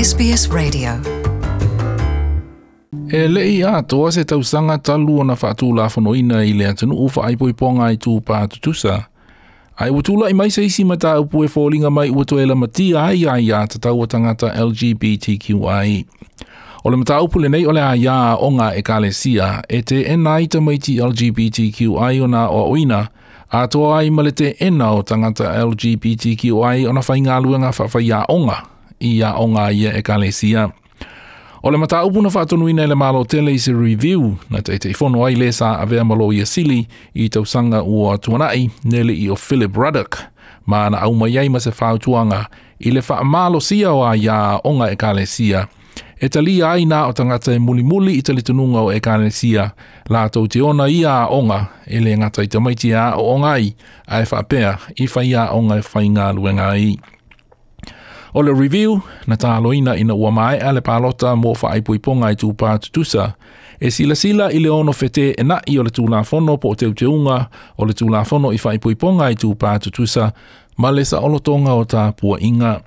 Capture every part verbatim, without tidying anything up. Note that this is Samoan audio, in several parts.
S B S Radio. E le i atoa se tausaga talu ona faatulafonoina i le atunuu faaipoipoga itupā tutusa. Ae ua tula'i mai se isi mataupu e foliga mai ua toe lamatia ai aiatatau a tagata L G B T Q I. O le mataupu lenei o le aiā aoga ekalesia e teena ai tamaiti L G B T Q I ona aoaoina, atoa ai ma le teena o tagata L G B T Q I ona faigaluega faafaiaoga i aoga ia ekalesia. O le mataupu na faatonuina e le Malo tele i se review na Taitaifono ai le sa avea ma Loia Sili i tausaga ua tuana'i ne i o Philip Ruddock, ma na aumai ai ma se fautuaga i le faamalosia o aiaoga ekalesia e talia ai na o tagata e mulimuli i talitonuga o ekalesia latou te ona ia aoga e le gata i tamaiti e aooga ai ae faapea i faiaoga e faigaluega ai. O le review na taloina ina ua maea le palota mo faaipoipoga itupā tutusa e silasila i le ono feteenai o le tulafono po o teuteuga o le tulafono i faaipoipoga itupā tutusa ma le saolotoga o tapuaiga.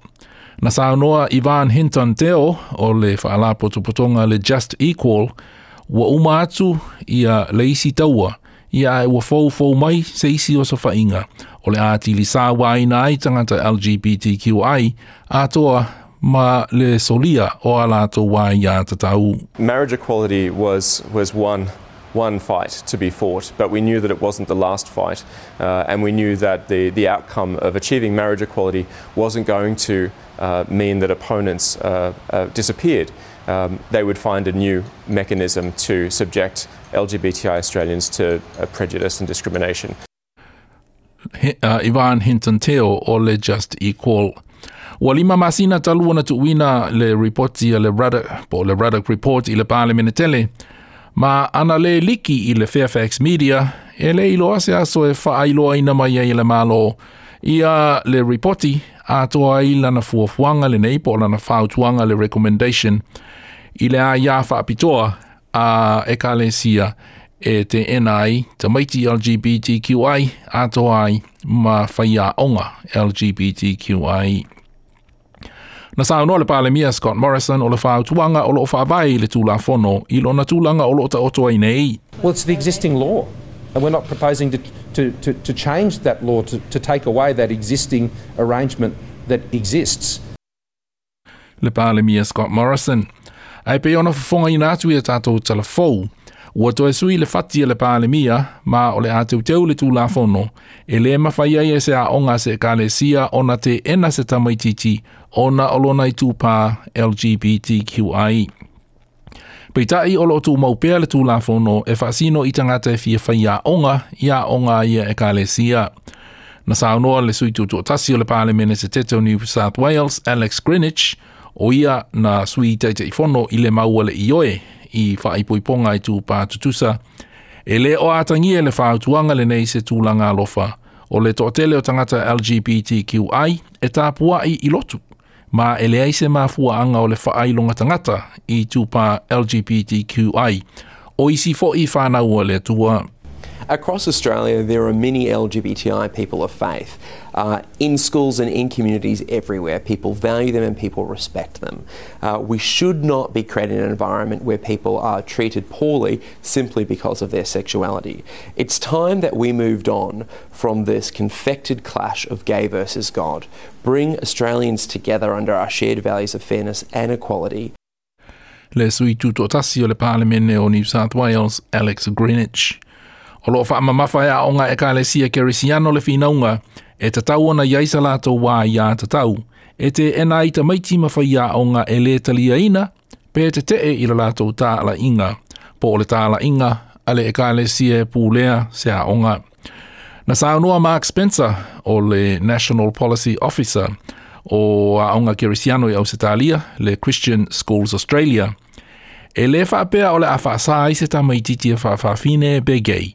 Na saunoa Ivan Hinton Teo o le faalapotopotoga le Just Equal ua uma atu ia le isi taua ia ae ua foufou mai se isi osofaiga o le atili sauaina ai tagata L G B T Q I atoa ma le solia o a latou aiatatau. Marriage equality was, was one, one fight to be fought, but we knew that it wasn't the last fight, uh, and we knew that the, the outcome of achieving marriage equality wasn't going to uh, mean that opponents uh, uh, disappeared. Um, they would find a new mechanism to subject L G B T I Australians to uh, prejudice and discrimination. uh, Ivan Hinton Teo o le Just Equal. Ua lima masina talu ona tuuina le ripoti a le Ruddock, po le Ruddock Report i le Palemene tele, ma ana le liki i le Fairfax Media, e le iloa se aso e faailoaina mai ai e le Malo ia le ripoti atoa ai lana fuafuaga lenei po o lana fautuaga le recommendation i le aiā faapitoa a ekalesia e teena ai tamaiti L G B T Q I atoa ai ma faiaoga L G B T Q I. Na saunoa le Palemia Scott Morrison o le fautuaga o loo faavae i le tulafono i lona tulaga o loo taoto ai nei. Well, it's the existing law. And we're not proposing to, to, to, to change that law, to, to take away that existing arrangement that exists. Le Palemia Scott Morrison. Ae pei ona fofogaina atu ia tatou talafou, ua toe sui le fati a le Palemia ma o le a teuteu le tulafono e le mafai ai e se aoga se ekalesia ona teena se tamaititi ona o lona itupā L G B T Q I. Peitai o loo tumau pea le tulafono e faasino i tagata e fia faiaoga i aoga ia ekalesia. Na saunoa le sui tutoatasi o le Palemene Setete o New South Wales, Alex Greenwich, o ia na sui Taitaifono i le maua le ioe i faaipoipoga itupā tutusa. E le o atagia le fautuaga lenei se tulaga alofa o le toatele o tagata L G B T Q I e tapuai i lotu. Ma e leai se mafuaaga o le faailoga tagata itupā L G B T Q I. O isi foi whanau o le Atua. Across Australia, there are many L G B T I people of faith. Uh, in schools and in communities everywhere, people value them and people respect them. Uh, we should not be creating an environment where people are treated poorly simply because of their sexuality. It's time that we moved on from this confected clash of gay versus God. Bring Australians together under our shared values of fairness and equality. Le sui tutoatasi o le Palemene o New South Wales, Alex Greenwich. O loo faamamafa e aoga ekalesia kerisiano le finauga e tatau ona iai sa latou aiatatau e teena ai tamaiti ma faiaoga e le taliaina pe tetee i le latou talaiga po o le talaiga a le ekalesia e pulea se aoga. Na saunoa Mark Spencer o le National Policy Officer o aoga kerisiano i Ausetalia, le Christian Schools Australia, e le faapea o le a faasa ai se tamaititi e faafafine pe gay.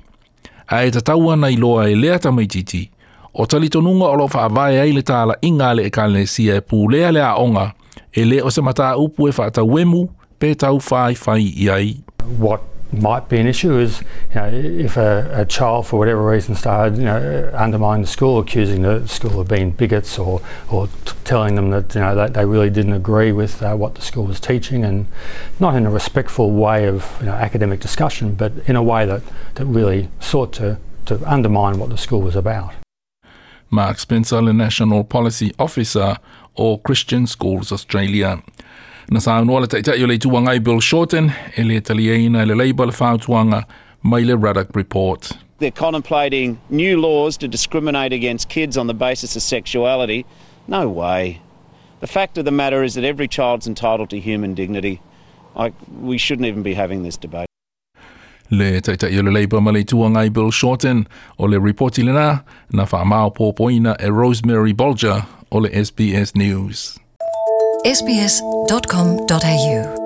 Ae tatau ona iloa e lea tamaititi, o talitonuga o lo faavae ai le talaiga a le ekalesia e pulea le aoga, e le o se mataupu e faatauemu pe taufaifai i ai. What might be an issue is, you know, if a, a child for whatever reason started, you know, undermining the school, accusing the school of being bigots, or or t- telling them that, you know, that they really didn't agree with uh, what the school was teaching, and not in a respectful way of, you know, academic discussion, but in a way that, that really sought to, to undermine what the school was about. Mark Spencer, le National Policy Officer o Christian Schools Australia. Na saunoa le Taitai o le Itu Agai Bill Shorten e le taliaina le Labor le fautuaga mai le Ruddock Report. They're contemplating new laws to discriminate against kids on the basis of sexuality. No way. The fact of the matter is that every child's entitled to human dignity. I, we shouldn't even be having this debate. Le Taitai o le Labor ma le Itu Agai Bill Shorten o le ripoti lena na whaamaopopoina e Rosemary Bolger o le S B S News. S B S dot com dot A U.